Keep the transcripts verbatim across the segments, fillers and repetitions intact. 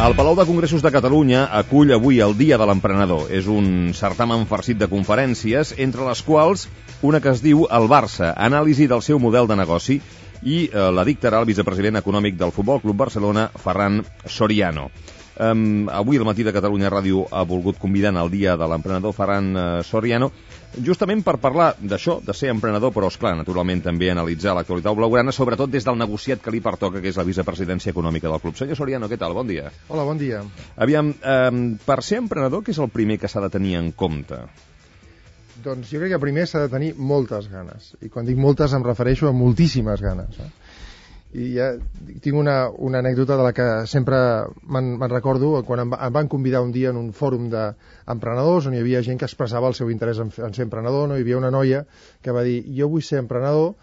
El Palau de Congressos de Catalunya acull avui el Dia de l'Emprenedor. És un certamen farcit de conferències, entre les quals una que es diu El Barça, anàlisi del seu model de negoci, i eh, la dictarà el vicepresident econòmic del Futbol Club Barcelona, Ferran Soriano. Um, avui el Matí de Catalunya Ràdio ha volgut convidar al Dia de l'Emprenedor Ferran uh, Soriano, justament per parlar d'això, de ser emprenedor, però, esclar, naturalment també analitzar l'actualitat blaugrana, sobretot des del negociat que li pertoca, que és la vicepresidència econòmica del club. Senyor Soriano, què tal? Bon dia. Hola, bon dia. Aviam, um, per ser emprenedor, què és el primer que s'ha de tenir en compte? Doncs jo crec que primer s'ha de tenir moltes ganes. I quan dic moltes em refereixo a moltíssimes ganes. Eh? I ja tinc una, una anècdota de la que sempre me'n recordo quan em, em van convidar un dia en un fòrum d'emprenedors on hi havia gent que expressava el seu interès en, en ser emprenedor, no? Hi havia una noia que va dir: jo vull ser emprenedor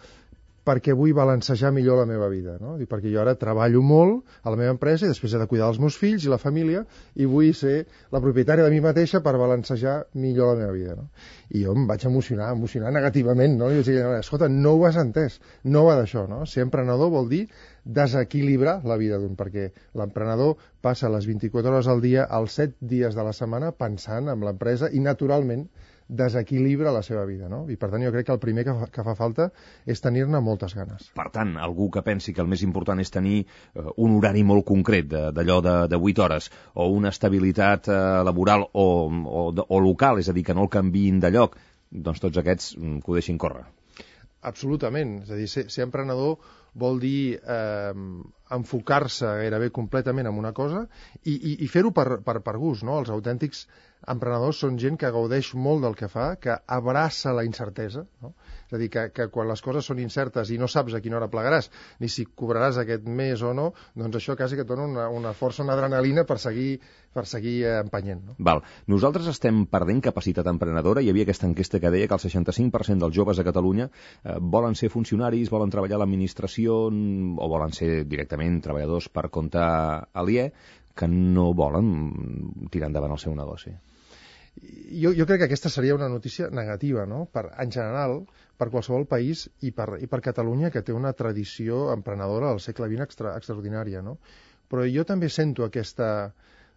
perquè vull balancejar millor la meva vida, no? Dic, perquè jo ara treballo molt a la meva empresa i després he de cuidar dels meus fills i la família i vull ser la propietària de mi mateixa per balancejar millor la meva vida, no? I jo em vaig emocionar, emocionar negativament, no? I vaig dir, escolta, no ho has entès, no va d'això, no? Ser emprenedor vol dir desequilibrar la vida d'un, perquè l'emprenedor passa les vint-i-quatre hores al dia, els set dies de la setmana, pensant en l'empresa i, naturalment, desequilibra la seva vida, no? I per tant jo crec que el primer que fa, que fa falta és tenir-ne moltes ganes. Per tant, algú que pensi que el més important és tenir eh, un horari molt concret d'allò de, de vuit hores o una estabilitat eh, laboral o, o, o local, és a dir, que no el canviïn de lloc, doncs tots aquests mm, que ho deixin córrer. Absolutament, és a dir, ser, ser emprenedor vol dir eh, enfocar-se gairebé completament en una cosa i, i, i fer-ho per, per, per gust, no? Els autèntics emprenedors són gent que gaudeix molt del que fa, que abraça la incertesa, no? És a dir, que, que quan les coses són incertes i no saps a quina hora plegaràs, ni si cobraràs aquest mes o no, doncs això quasi que et dona una, una força, una adrenalina per seguir, per seguir empenyent, no? Val. Nosaltres estem perdent capacitat emprenedora. Hi havia aquesta enquesta que deia que el seixanta-cinc per cent dels joves a Catalunya eh, volen ser funcionaris, volen treballar a l'administració o volen ser directament treballadors per compte aliè, que no volen tirar endavant el seu negoci. Jo, jo crec que aquesta seria una notícia negativa, no? Per, en general, per qualsevol país i per, i per Catalunya, que té una tradició emprenedora al segle vint extra, extraordinària, no? Però jo també sento aquesta,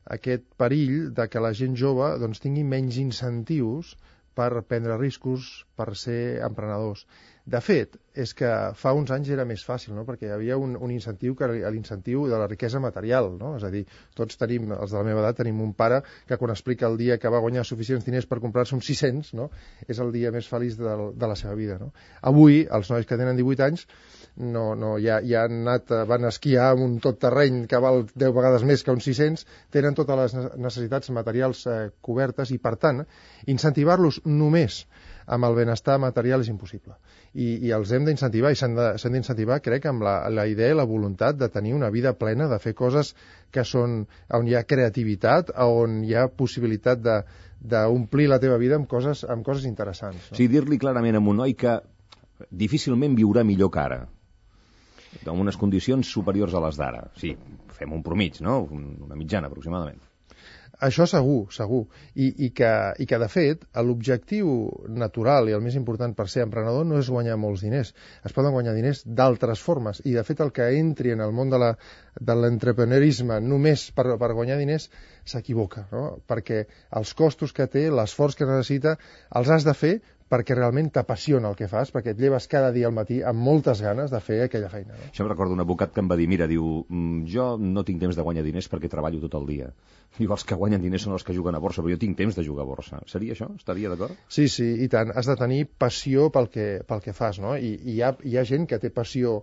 aquest perill de que la gent jove doncs, tingui menys incentius per prendre riscos, per ser emprenedors. De fet, és que fa uns anys era més fàcil, no? Perquè hi havia un, un incentiu, que l'incentiu de la riquesa material, no? És a dir, tots tenim, els de la meva edat, tenim un pare que quan explica el dia que va guanyar suficients diners per comprar-se uns sis-cents, no? És el dia més feliç de, de la seva vida, no? Avui, els nois que tenen divuit anys no, no, ja, ja han anat, van esquiar amb un tot terreny que val deu vegades més que uns sis-cents, tenen totes les necessitats materials eh, cobertes i, per tant, incentivar-los només amb el benestar material és impossible. I, i els hem d'incentivar, i s'han d'incentivar, crec, amb la, la idea i la voluntat de tenir una vida plena, de fer coses que són, on hi ha creativitat, on hi ha possibilitat d'omplir la teva vida amb coses, amb coses interessants. No? Sí, dir-li clarament a un noi que difícilment viurà millor que ara, amb unes condicions superiors a les d'ara. Sí, fem un promig, no? Una mitjana, aproximadament. Això segur, segur. I, i, que, i que, de fet, l'objectiu natural i el més important per ser emprenedor no és guanyar molts diners. Es poden guanyar diners d'altres formes. I, de fet, el que entri en el món de l'entreprenerisme només per, per guanyar diners s'equivoca, no? Perquè els costos que té, l'esforç que necessita, els has de fer perquè realment t'apassiona el que fas, perquè et lleves cada dia al matí amb moltes ganes de fer aquella feina. No? Això em recordo un advocat que em va dir, mira, diu, jo no tinc temps de guanyar diners perquè treballo tot el dia. Diu, els que guanyen diners són els que juguen a borsa, però jo tinc temps de jugar a borsa. Seria això? Estaria d'acord? Sí, sí, i tant. Has de tenir passió pel que, pel que fas, no? I, i hi, ha, hi ha gent que té passió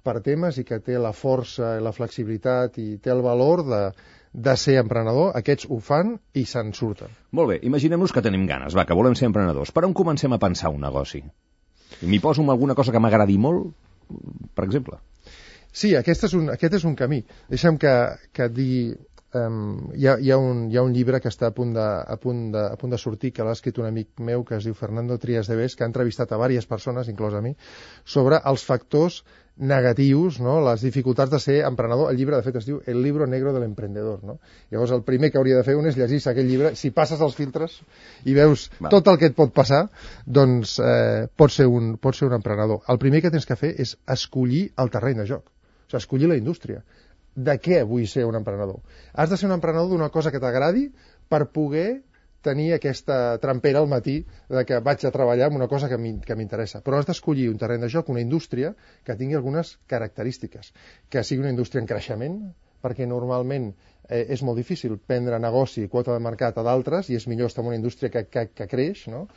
per temes i que té la força i la flexibilitat i té el valor de de ser emprenedor, aquests ho fan i se'n surten. Molt bé, imaginem-nos que tenim ganes, va, que volem ser emprenedors. Per on comencem a pensar un negoci? M'hi poso amb alguna cosa que m'agradi molt, per exemple? Sí, aquest és un, aquest és un camí. Deixa'm que, que et digui... Um, hi, ha, hi, ha un, hi ha un llibre que està a punt de, a punt de, a punt de sortir, que l'ha escrit un amic meu que es diu Fernando Trias de Bes, que ha entrevistat a diverses persones, inclòs a mi, sobre els factors negatius, no? Les dificultats de ser emprenedor. El llibre, de fet, es diu El libro negro del emprendedor, no? Llavors, el primer que hauria de fer un és llegir-se aquell llibre. Si passes els filtres i veus Va. tot el que et pot passar, doncs eh, pots ser un, pots ser un emprenedor. El primer que tens que fer és escollir el terreny de joc, o sigui, escollir la indústria. de què vull ser un emprenedor. Has de ser un emprenedor d'una cosa que t'agradi per poder tenir aquesta trampera al matí de que vaig a treballar en una cosa que m'interessa. Però has d'escollir un terreny de joc, una indústria que tingui algunes característiques, que sigui una indústria en creixement, perquè normalment eh, és molt difícil prendre negoci i quota de mercat a d'altres i és millor estar en una indústria que, que, que creix, no?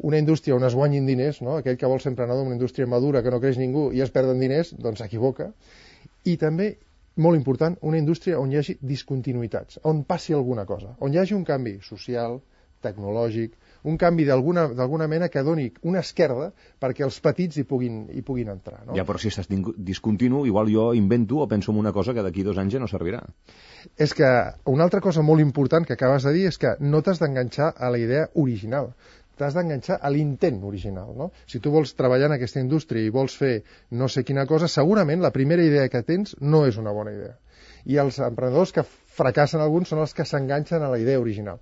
Una indústria on es guanyin diners, no? Aquell que vol ser emprenedor en una indústria madura que no creix ningú i es perden diners, doncs s'equivoca. I també, molt important, una indústria on hi hagi discontinuïtats, on passi alguna cosa, on hi hagi un canvi social, tecnològic, un canvi d'alguna d'alguna mena que doni una esquerda perquè els petits hi puguin, hi puguin entrar. No? Ja, però si estàs discontinu, igual jo invento o penso en una cosa que d'aquí dos anys ja no servirà. És que una altra cosa molt important que acabes de dir és que no t'has d'enganxar a la idea original, t'has d'enganxar a l'intent original. No? Si tu vols treballar en aquesta indústria i vols fer no sé quina cosa, segurament la primera idea que tens no és una bona idea. I els emprenedors que fracassen alguns són els que s'enganxen a la idea original.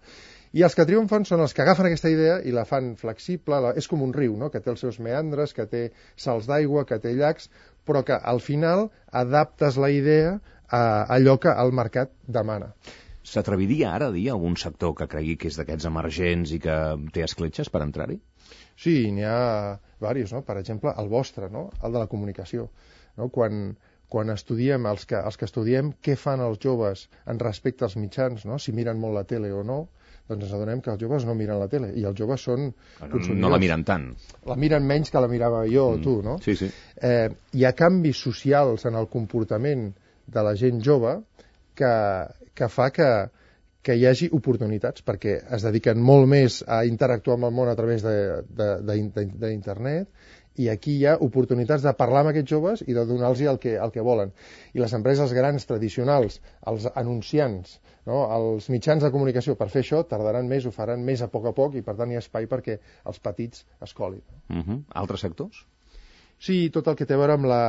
I els que triomfen són els que agafen aquesta idea i la fan flexible, la... és com un riu, no? Que té els seus meandres, que té salts d'aigua, que té llacs, però que al final adaptes la idea a allò que el mercat demana. S'atreviria ara a dir algun sector que cregui que és d'aquests emergents i que té escletxes per entrar-hi? Sí, n'hi ha diversos, no? Per exemple, el vostre, no? El de la comunicació. No? Quan, quan estudiem, els que, els que estudiem què fan els joves en respecte als mitjans, no? Si miren molt la tele o no, doncs ens adonem que els joves no miren la tele, i els joves són consumidors. No la miren tant. La miren menys que la mirava jo o mm. tu, no? Sí, sí. Eh, hi ha canvis socials en el comportament de la gent jove que, que fa que, que hi hagi oportunitats, perquè es dediquen molt més a interactuar amb el món a través d'internet, i aquí hi ha oportunitats de parlar amb aquests joves i de donar-los el que, el que volen. I les empreses grans, tradicionals, els anunciants, no? Els mitjans de comunicació, per fer això tardaran més, ho faran més a poc a poc, i per tant hi ha espai perquè els petits es colin. Uh-huh. Altres sectors? Sí, tot el que té a veure amb la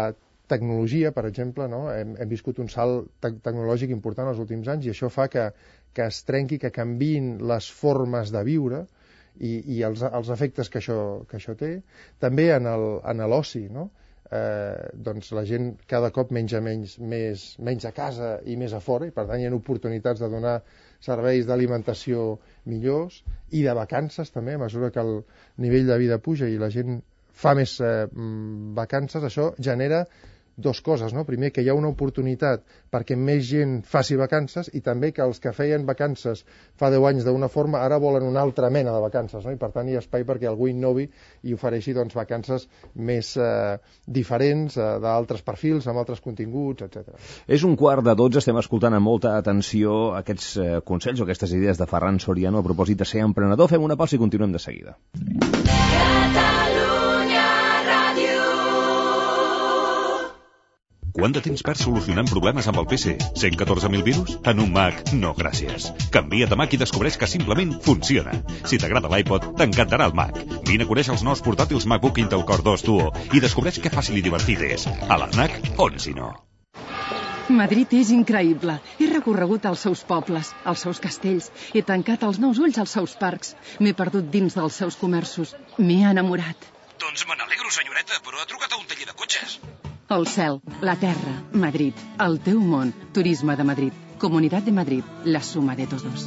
tecnologia, per exemple, no? hem, hem viscut un salt te tecnològic important els últims anys, i això fa que, que es trenqui, que canviïn les formes de viure i, i els, els efectes que això, que això té. També en l'oci, no? Eh, doncs la gent cada cop menja menys, més, menys a casa i més a fora, i per tant hi ha oportunitats de donar serveis d'alimentació millors i de vacances també, a mesura que el nivell de vida puja i la gent fa més eh, vacances. Això genera dos coses, no? Primer, que hi ha una oportunitat perquè més gent faci vacances, i també que els que feien vacances fa deu anys d'una forma ara volen una altra mena de vacances, no? I per tant hi ha espai perquè algú innovi i ofereixi doncs, vacances més eh, diferents, eh, d'altres perfils, amb altres continguts, etcètera. És un quart de dotze, estem escoltant amb molta atenció aquests eh, consells o aquestes idees de Ferran Soriano a propòsit de ser emprenedor. Fem una pausa i continuem de seguida. Quant de temps perds solucionant problemes amb el P C? cent catorze mil virus? En un Mac? No, gràcies. Canvia't de Mac i descobreix que simplement funciona. Si t'agrada l'iPod, t'encantarà el Mac. Vine a conèixer els nous portàtils MacBook Intel Core dos Duo i descobreix què fàcil i divertit és. A l'ANAC, on si no? Madrid és increïble. He recorregut els seus pobles, els seus castells. He tancat els nous ulls als seus parcs. M'he perdut dins dels seus comerços. M'he enamorat. Doncs me n'alegro, senyoreta, però ha trucat a un taller de cotxes. El cel, la terra, Madrid, el teu món, Turisme de Madrid, Comunitat de Madrid, la suma de todos.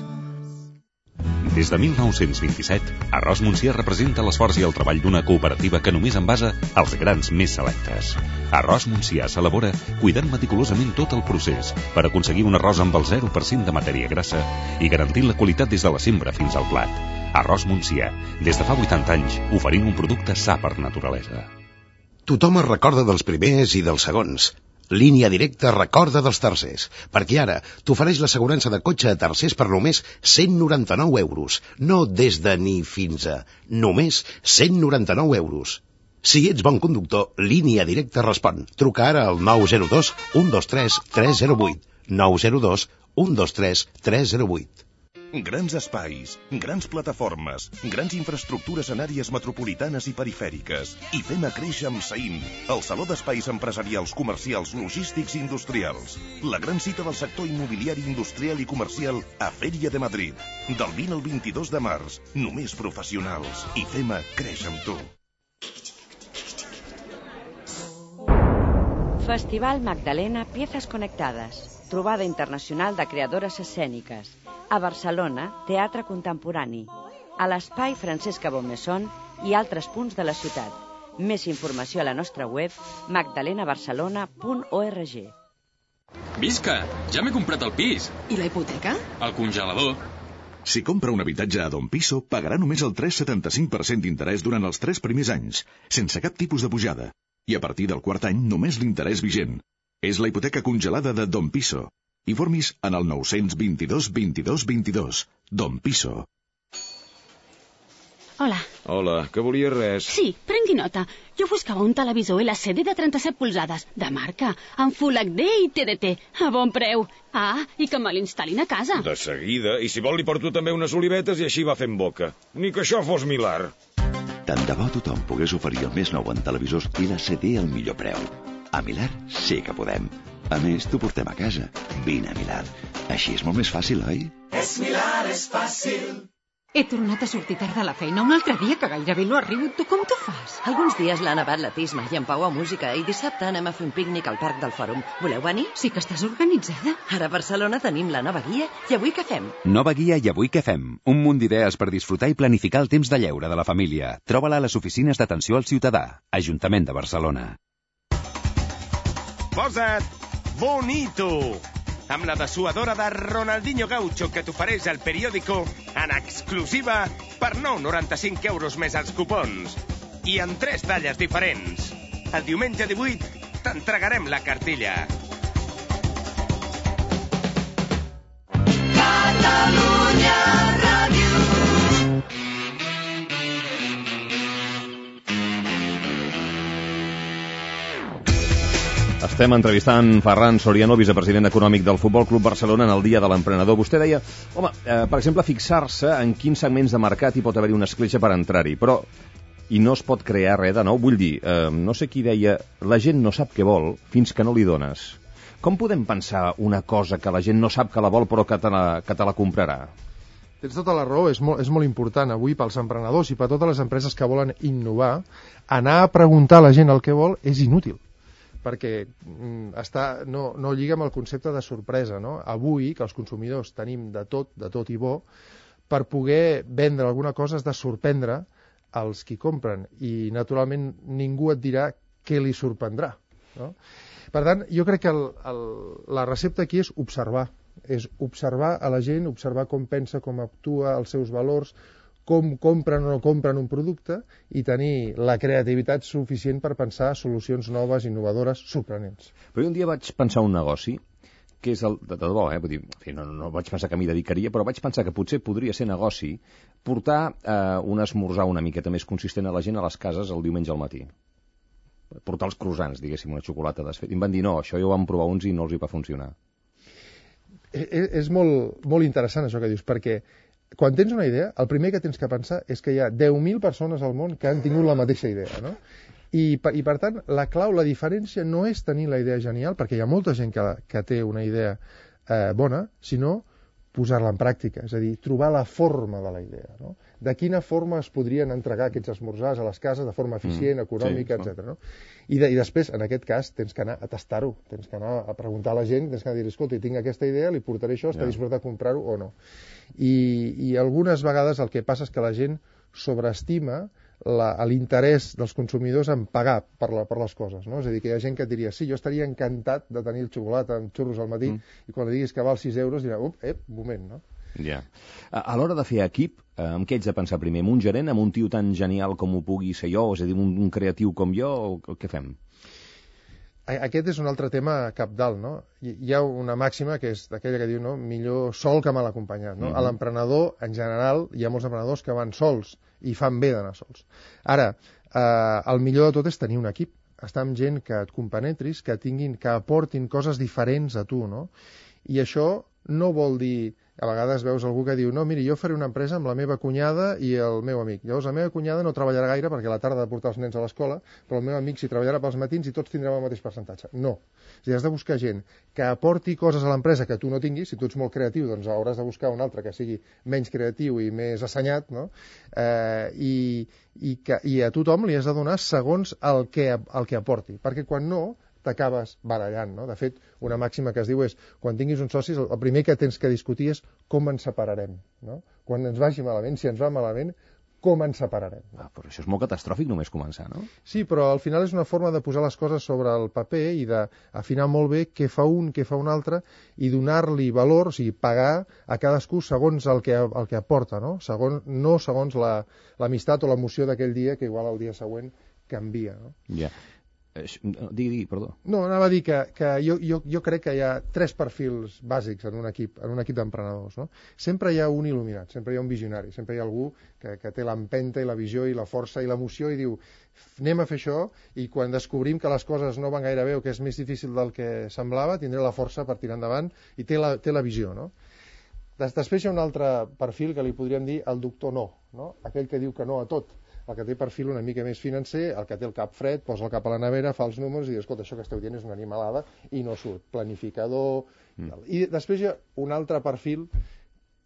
Des de mil nou-cents vint-i-set, Arròs Montsià representa l'esforç i el treball d'una cooperativa que només envasa els grans més selectes. Arròs Montsià s'elabora cuidant meticulosament tot el procés per aconseguir un arròs amb el zero per cent de matèria grassa i garantint la qualitat des de la sembra fins al plat. Arròs Montsià, des de fa vuitanta anys, oferint un producte sa per naturalesa. Tothom es recorda dels primers i dels segons. Línia Directa recorda dels tercers, perquè ara t'ofereix l'assegurança de cotxe a tercers per només cent noranta-nou euros. No des de ni fins a. Només cent noranta-nou euros. Si ets bon conductor, Línia Directa respon. Truca ara al nou zero dos, un dos tres, tres zero vuit. nou zero dos, un dos tres, tres zero vuit. Grans espais, grans plataformes, grans infraestructures en àrees metropolitanes i perifèriques. I fem a créixer amb Saïm, el saló d'espais empresarials, comercials, logístics i industrials. La gran cita del sector immobiliari industrial i comercial a Fèria de Madrid. Del vint al vint-i-dos de març. Només professionals. I fem a créixer amb tu. Festival Magdalena Piezas Conectadas. trobada internacional de creadores escèniques. A Barcelona, teatre contemporani. A l'Espai Francesca Bonmesson i altres punts de la ciutat. Més informació a la nostra web magdalena barcelona punt org. Visca! Ja m'he comprat el pis. I la hipoteca? El congelador. Si compra un habitatge a Don Piso, pagarà només el tres coma setanta-cinc per cent d'interès durant els tres primers anys, sense cap tipus de pujada. I a partir del quart any, només l'interès vigent. És la hipoteca congelada de Don Piso. Informis en el nou-cents vint-i-dos vint-i-dos vint-i-dos. Don Piso. Hola. Hola, que volies res? Sí, prengui nota. Jo buscava un televisor L C D de trenta-set polzades, de marca, amb Full H D i T D T, a bon preu. Ah, i que me l'instal·lin a casa. De seguida, i si vol li porto també unes olivetes i així va fent boca. Ni que això fos Milar. Tant de bo tothom pogués oferir el més nou en televisors L C D al millor preu. A Milar sí que podem. A més, t'ho portem a casa. Vine a Milar. Així és molt més fàcil, oi? És Milar, és fàcil. He tornat a sortir tard de la feina un altre dia que gairebé no arribo. Tu com t'ho fas? Alguns dies l'ha nevat la Tisma i en Pau a música i dissabte anem a fer un pícnic al Parc del Fòrum. Voleu venir? Sí que estàs organitzada. Ara a Barcelona tenim la nova guia i avui què fem? Nova guia i avui què fem? Un munt d'idees per disfrutar i planificar el temps de lleure de la família. Troba-la a les oficines d'atenció al ciutadà. Ajuntament de Barcelona. Posa't bonito! Amb la dessuadora de Ronaldinho Gaucho que t'ofereix el periòdico en exclusiva per nou coma noranta-cinc euros més els cupons. I en tres talles diferents. El diumenge divuit t'entregarem la cartilla. Catalunya Ràdio. Estem entrevistant Ferran Soriano, vicepresident econòmic del Futbol Club Barcelona, en el Dia de l'Emprenedor. Vostè deia, home, eh, per exemple, fixar-se en quins segments de mercat hi pot haver una escletxa per entrar-hi, però i no es pot crear res de nou. Vull dir, eh, no sé qui deia, la gent no sap què vol fins que no li dones. Com podem pensar una cosa que la gent no sap que la vol però que te la, que te la comprarà? Tens tota la raó, és molt, és molt important avui pels emprenedors i per totes les empreses que volen innovar, anar a preguntar a la gent el que vol és inútil, perquè mm, està, no, no lliga amb el concepte de sorpresa, no? Avui, que els consumidors tenim de tot, de tot i bo, per poder vendre alguna cosa has de sorprendre els qui compren, i naturalment ningú et dirà què li sorprendrà, no? Per tant, jo crec que el, el, la recepta aquí és observar, és observar a la gent, observar com pensa, com actua, els seus valors, com compren o no compren un producte i tenir la creativitat suficient per pensar solucions noves, innovadores, sorprenents. Però un dia vaig pensar un negoci que és el de debò, eh? Vull dir, en fi, no, no vaig pensar que m'hi dedicaria, però vaig pensar que potser podria ser negoci portar eh, un esmorzar una miqueta més consistent a la gent a les cases el diumenge al matí. Portar els croissants, diguéssim, una xocolata desfeta. I em van dir, no, això ja ho vam provar uns i no els hi va funcionar. És, és molt, molt interessant això que dius, perquè quan tens una idea, el primer que tens que pensar és que hi ha deu mil persones al món que han tingut la mateixa idea, no? I, I per tant, la clau, la diferència no és tenir la idea genial, perquè hi ha molta gent que, que té una idea eh, bona, sinó posar-la en pràctica, és a dir, trobar la forma de la idea, no? De quina forma es podrien entregar aquests esmorzars a les cases de forma eficient, mm, econòmica, sí, etcètera. No? I, de, I després, en aquest cas, tens que anar a tastar-ho, tens que anar a preguntar a la gent, tens que anar a dir, escolta, tinc aquesta idea, li portaré això, està yeah. disposat a comprar-ho o no. I, I algunes vegades el que passa és que la gent sobreestima l'interès dels consumidors en pagar per, la, per les coses, no? És a dir, que hi ha gent que et diria, sí, jo estaria encantat de tenir el xocolata amb xurros al matí, mm. i quan li diguis que val sis euros dirà, up, ep, moment, no? Ja. A, a l'hora de fer equip, eh, amb què ets de pensar primer? Amb un gerent, amb un tio tan genial com ho pugui ser jo, és a dir, un, un creatiu com jo, o què fem? Aquest és un altre tema cabdal, no? Hi ha una màxima que és d'aquella que diu, no? Millor sol que mal acompanyat, no? Mm-hmm. A l'emprenedor, en general, hi ha molts emprenedors que van sols i fan bé d'anar sols. Ara, eh, el millor de tot és tenir un equip, estar amb gent que et compenetris, que tinguin, que aportin coses diferents a tu, no? I això no vol dir... A vegades veus algú que diu, no, miri, jo faré una empresa amb la meva cunyada i el meu amic. Llavors, la meva cunyada no treballarà gaire perquè a la tarda ha de portar els nens a l'escola, però el meu amic sí treballarà pels matins i tots tindrem el mateix percentatge. No. És a dir, has de buscar gent que aporti coses a l'empresa que tu no tinguis. Si tu ets molt creatiu, doncs hauràs de buscar un altre que sigui menys creatiu i més assenyat, no? Eh, i, i, que, I a tothom li has de donar segons el que, el que aporti. Perquè quan no, t'acabes barallant, no? De fet, una màxima que es diu és, quan tinguis uns socis, el primer que tens que discutir és com ens separarem, no? Quan ens vagi malament, si ens va malament, com ens separarem. Ah, però això és molt catastròfic només començar, no? Sí, però al final és una forma de posar les coses sobre el paper i d'afinar molt bé què fa un, què fa un altre, i donar-li valor, o sigui, pagar a cadascú segons el que, el que aporta, no? Segons, no segons l'amistat la, o l'emoció d'aquell dia, que igual el dia següent canvia, no? Ja. Digui, digui, perdó. No, anava a dir que, que jo, jo, jo crec que hi ha tres perfils bàsics en un equip, en un equip d'emprenedors, no? Sempre hi ha un il·luminat, sempre hi ha un visionari, sempre hi ha algú que, que té l'empenta i la visió i la força i l'emoció i diu, anem a fer això, i quan descobrim que les coses no van gaire bé o que és més difícil del que semblava, tindré la força per tirar endavant i té la, té la visió, no? Des, després hi ha un altre perfil que li podríem dir el doctor no, no? Aquell que diu que no a tot, el que té perfil una mica més financer, el que té el cap fred, posa el cap a la nevera, fa els números i diu, escolta, això que esteu dient és una animalada, i no surt. Planificador... Mm. I després hi ha un altre perfil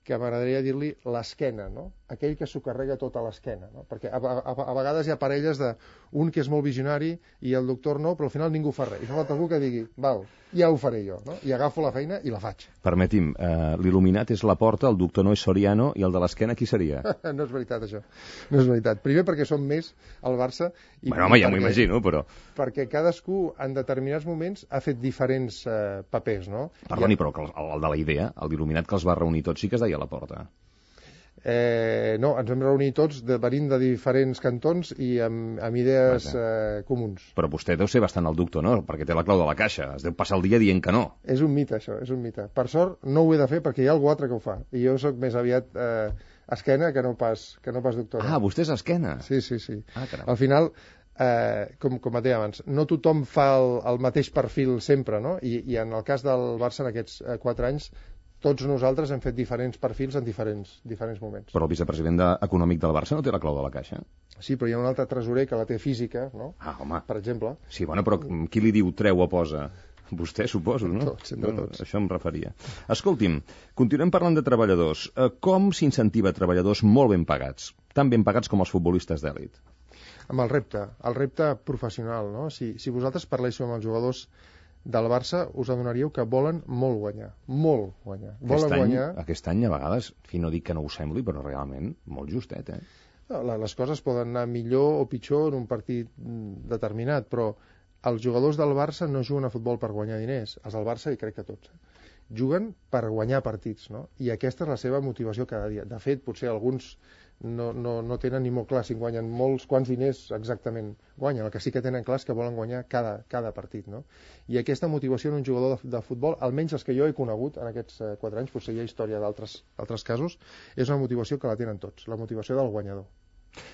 que m'agradaria dir-li l'esquena, no? Aquell que s'ho carrega tot a l'esquena, no? Perquè a, a, a vegades hi ha parelles de un que és molt visionari i el doctor no, però al final ningú fa res. I fa falta algú que digui, val, ja ho faré jo, no? I agafo la feina i la faig. Permeti'm, eh, l'il·luminat és la Porta, el doctor no és Soriano, i el de l'esquena qui seria? No és veritat, això. No és veritat. Primer perquè som més al Barça... I bueno, home, ja m'ho imagino, però... Perquè cadascú, en determinats moments, ha fet diferents eh, papers, no? Perdoni, ha... però el, el de la idea, el d'il·luminat que els va reunir tots, sí que es deia la Porta. Eh, no, ens vam reunir tots de, venint de diferents cantons i amb, amb idees eh, comuns. Però vostè deu ser bastant el doctor, no? Perquè té la clau de la caixa, es deu passar el dia dient que no. És un mite, això, és un mite. Per sort no ho he de fer perquè hi ha algú altre que ho fa, i jo sóc més aviat eh, esquena que no pas, que no pas doctor. Ah, vostè és esquena? Sí, sí, sí. Ah, caram. Al final, eh, com, com et deia abans, no tothom fa el, el mateix perfil sempre, no? I, i en el cas del Barça en aquests eh, quatre anys, tots nosaltres hem fet diferents perfils en diferents, diferents moments. Però el vicepresident de, econòmic del Barça no té la clau de la caixa? Sí, però hi ha un altre tresorer que la té física, no? Ah, home. Per exemple. Sí, bueno, però qui li diu treu o posa? Vostè, suposo, no? Tots, entre no, tots. Això em referia. Escolti'm, continuem parlant de treballadors. Com s'incentiva treballadors molt ben pagats? Tan ben pagats com els futbolistes d'èlit? Amb el repte, el repte professional, no? Si, si vosaltres parléssiu amb els jugadors del Barça, us adonaríeu que volen molt guanyar, molt guanyar. Volen aquest, any, guanyar... aquest any, a vegades, fi, no dic que no ho sembli, però realment molt justet, eh? No, les coses poden anar millor o pitjor en un partit determinat, però els jugadors del Barça no juguen a futbol per guanyar diners. Els del Barça, i crec que tots, eh? Juguen per guanyar partits, no? I aquesta és la seva motivació cada dia. De fet, potser alguns no, no, no tenen ni molt clar si guanyen molts, quants diners exactament guanyen. El que sí que tenen clar és que volen guanyar cada, cada partit, no? I aquesta motivació en un jugador de, de futbol, almenys els que jo he conegut en aquests eh, quatre anys, potser hi ha història d'altres casos, és una motivació que la tenen tots, la motivació del guanyador.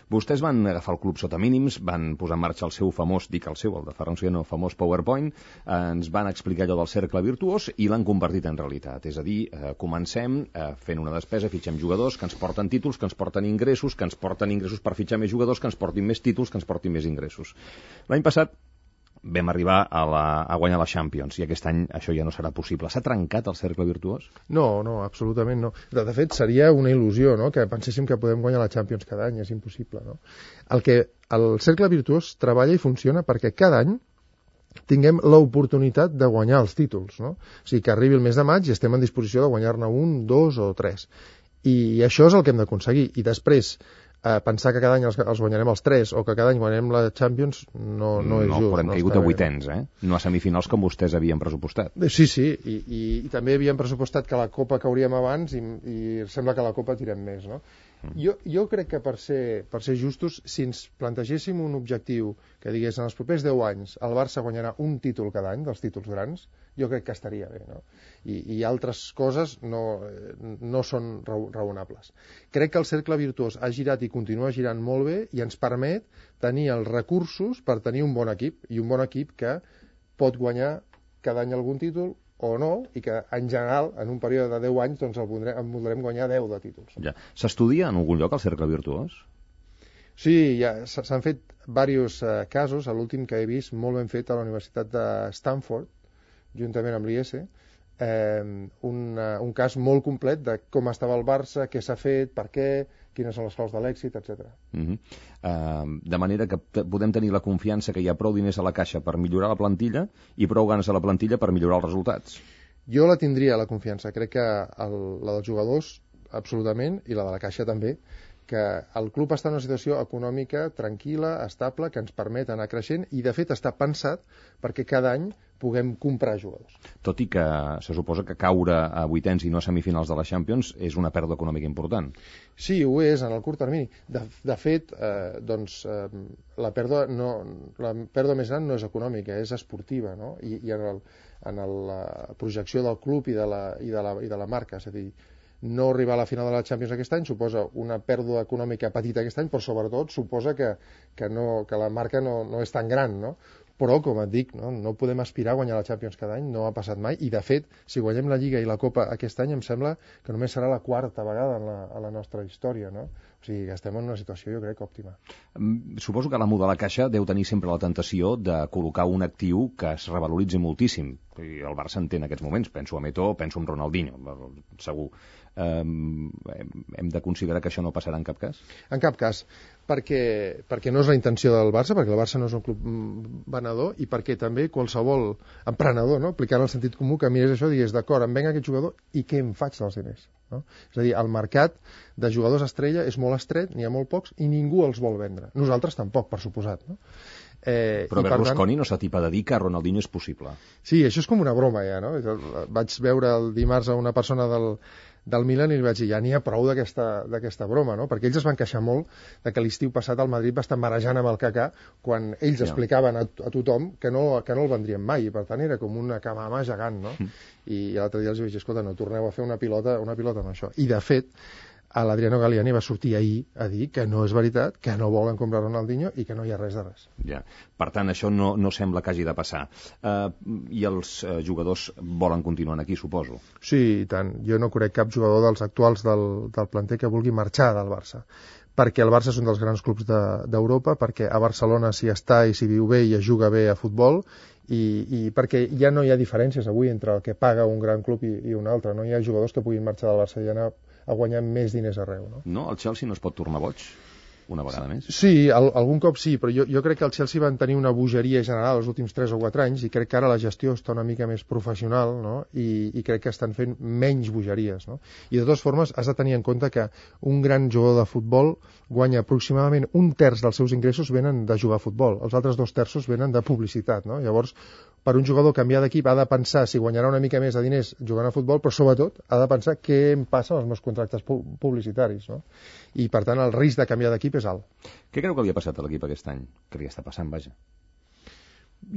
Vostès van agafar el club sota mínims, van posar en marxa el seu famós, dic el seu, el de Ferran Soriano, famós PowerPoint, eh, ens van explicar allò del cercle virtuós i l'han convertit en realitat. És a dir, eh, comencem eh, fent una despesa, fitxem jugadors que ens porten títols, que ens porten ingressos, que ens porten ingressos per fitxar més jugadors, que ens portin més títols, que ens portin més ingressos. L'any passat vam arribar a, la, a guanyar la Champions i aquest any això ja no serà possible. S'ha trencat el cercle virtuós? No, no, absolutament no. De, de fet, seria una il·lusió, no?, que penséssim que podem guanyar la Champions cada any, és impossible, no? El que el cercle virtuós treballa i funciona perquè cada any tinguem l'oportunitat de guanyar els títols, no? O sigui, que arribi el mes de maig i estem en disposició de guanyar-ne un, dos o tres. I això és el que hem d'aconseguir. I després, eh, pensar que cada any els, els guanyarem els tres o que cada any guanyarem la Champions no, no és no, just. Però hem no caigut a vuitens, eh? No a semifinals com vostès havien pressupostat. Sí, sí, i, i, i també havíem pressupostat que la Copa cauríem abans i, i sembla que la Copa tirem més, no? Jo, jo crec que per ser, per ser justos, si ens plantegéssim un objectiu que digués en els propers deu anys el Barça guanyarà un títol cada any, dels títols grans, jo crec que estaria bé, no? I, i altres coses no, no són raonables. Crec que el cercle virtuós ha girat i continua girant molt bé i ens permet tenir els recursos per tenir un bon equip, i un bon equip que pot guanyar cada any algun títol o no, i que en general en un període de deu anys doncs el voldrem, en voldrem guanyar deu de títols. Ja. S'estudia en algun lloc el cercle virtuós? Sí, ja s'han fet diversos eh, casos. L'últim que he vist molt ben fet a la Universitat de Stanford, juntament amb l'I E S E, eh, un, un cas molt complet de com estava el Barça, què s'ha fet, per què, quines són les claus de l'èxit, etcètera. Uh-huh. Uh, de manera que podem tenir la confiança que hi ha prou diners a la caixa per millorar la plantilla i prou ganes a la plantilla per millorar els resultats. Jo la tindria, la confiança. Crec que el, la dels jugadors, absolutament, i la de la caixa també, que el club està en una situació econòmica tranquil·la, estable, que ens permet anar creixent i, de fet, està pensat perquè cada any puguem comprar jugadors. Tot i que se suposa que caure a vuitens i no a semifinals de la Champions és una pèrdua econòmica important. Sí, ho és, en el curt termini. De, de fet, eh, doncs, eh, la, pèrdua no, la pèrdua més gran no és econòmica, és esportiva, no? I, i en, el, en el, la projecció del club i de la, i de la, i de la marca, és a dir, no arribar a la final de la Champions aquest any suposa una pèrdua econòmica petita aquest any, però sobretot suposa que, que, no, que la marca no, no és tan gran, no? Però, com et dic, no, no podem aspirar a guanyar la Champions cada any, no ha passat mai, i de fet, si guanyem la Lliga i la Copa aquest any, em sembla que només serà la quarta vegada en la, en la nostra història, no? O sigui, estem en una situació, jo crec, òptima. Suposo que l'amo de la Caixa deu tenir sempre la tentació de col·locar un actiu que es revaloritzi moltíssim. I el Barça en té en aquests moments, penso a Meto, penso en Ronaldinho, segur. Um, hem de considerar que això no passarà en cap cas? En cap cas, perquè, perquè no és la intenció del Barça, perquè el Barça no és un club venedor i perquè també qualsevol emprenedor, no? Aplicant el sentit comú, que mirés això i digués, d'acord, em venga aquest jugador i què em faig dels diners? No? És a dir, el mercat de jugadors estrella és molt estret, n'hi ha molt pocs i ningú els vol vendre. Nosaltres tampoc, per suposat, no? Eh, Però Berlusconi tant... no s'atipa de dir que Ronaldinho és possible. Sí, això és com una broma ja, no? Vaig veure el dimarts a una persona del, del Milan i li vaig dir, ja n'hi ha prou d'aquesta broma, no? Perquè ells es van queixar molt de que l'estiu passat el Madrid va estar marejant amb el Kaká quan ells ja. explicaven a, a tothom que no, que no el vendrien mai, i per tant era com una camama gegant, no? Mm. I l'altre dia els vaig dir, escolta, no torneu a fer una pilota, una pilota amb això. I de fet, l'Adriano Galliani va sortir ahir a dir que no és veritat, que no volen comprar Ronaldinho i que no hi ha res de res. Ja. Per tant, això no, no sembla que hagi de passar. Uh, I els uh, jugadors volen continuar aquí, suposo? Sí, i tant. Jo no crec cap jugador dels actuals del, del planter que vulgui marxar del Barça. Perquè el Barça és un dels grans clubs d'Europa, de, perquè a Barcelona s'hi està i s'hi viu bé i es juga bé a futbol, i, i perquè ja no hi ha diferències avui entre el que paga un gran club i, i un altre. No hi ha jugadors que puguin marxar del Barça i anar a guanyar més diners arreu, no? No? El Chelsea no es pot tornar boig una vegada més? Sí, al, algun cop sí, però jo, jo crec que el Chelsea van tenir una bogeria general els últims tres o quatre anys i crec que ara la gestió està una mica més professional, no? I, i crec que estan fent menys bogeries, no? I de totes formes has de tenir en compte que un gran jugador de futbol guanya aproximadament un terç dels seus ingressos venen de jugar a futbol, els altres dos terços venen de publicitat, no? Llavors, per un jugador canviar d'equip ha de pensar si guanyarà una mica més de diners jugant a futbol, però sobretot ha de pensar què em passa amb els meus contractes publicitaris, no? I per tant el risc de canviar d'equip és alt. Què creu que li ha passat a l'equip aquest any? Què li està passant, vaja?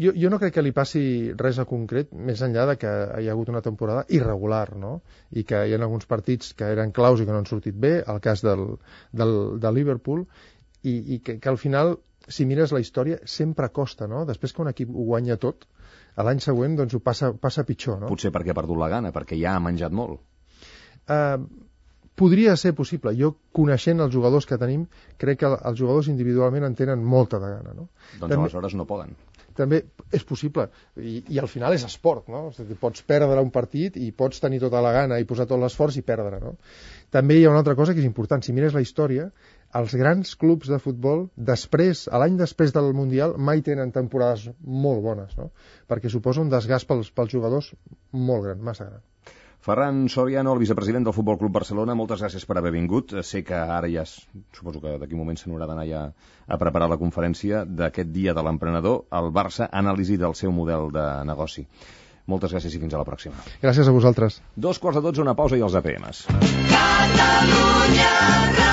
Jo, jo no crec que li passi res a concret, més enllà de que hi ha hagut una temporada irregular, no? I que hi ha alguns partits que eren claus i que no han sortit bé, el cas del, del, del Liverpool, i, i que, que al final, si mires la història, sempre costa, no? Després que un equip ho guanya tot, a l'any següent doncs ho passa, passa pitjor, no? Potser perquè ha perdut la gana, perquè ja ha menjat molt. Uh, podria ser possible. Jo, coneixent els jugadors que tenim, crec que els jugadors individualment en tenen molta de gana, no? Doncs també, aleshores no poden. També és possible, I, i al final és esport, no? O sigui, pots perdre un partit i pots tenir tota la gana i posar tot l'esforç i perdre, no? També hi ha una altra cosa que és important. Si mires la història, els grans clubs de futbol, després, a l'any després del Mundial, mai tenen temporades molt bones, no? Perquè suposa un desgast pels, pels jugadors molt gran, massa gran. Ferran Soriano, el vicepresident del Futbol Club Barcelona, moltes gràcies per haver vingut. Sé que ara ja, suposo que d'aquí un moment se n'haurà d'anar ja a preparar la conferència d'aquest dia de l'emprenedor, el Barça, anàlisi del seu model de negoci. Moltes gràcies i fins a la pròxima. Gràcies a vosaltres. Dos quarts de dotze, una pausa i els A P Ms. Catalunya.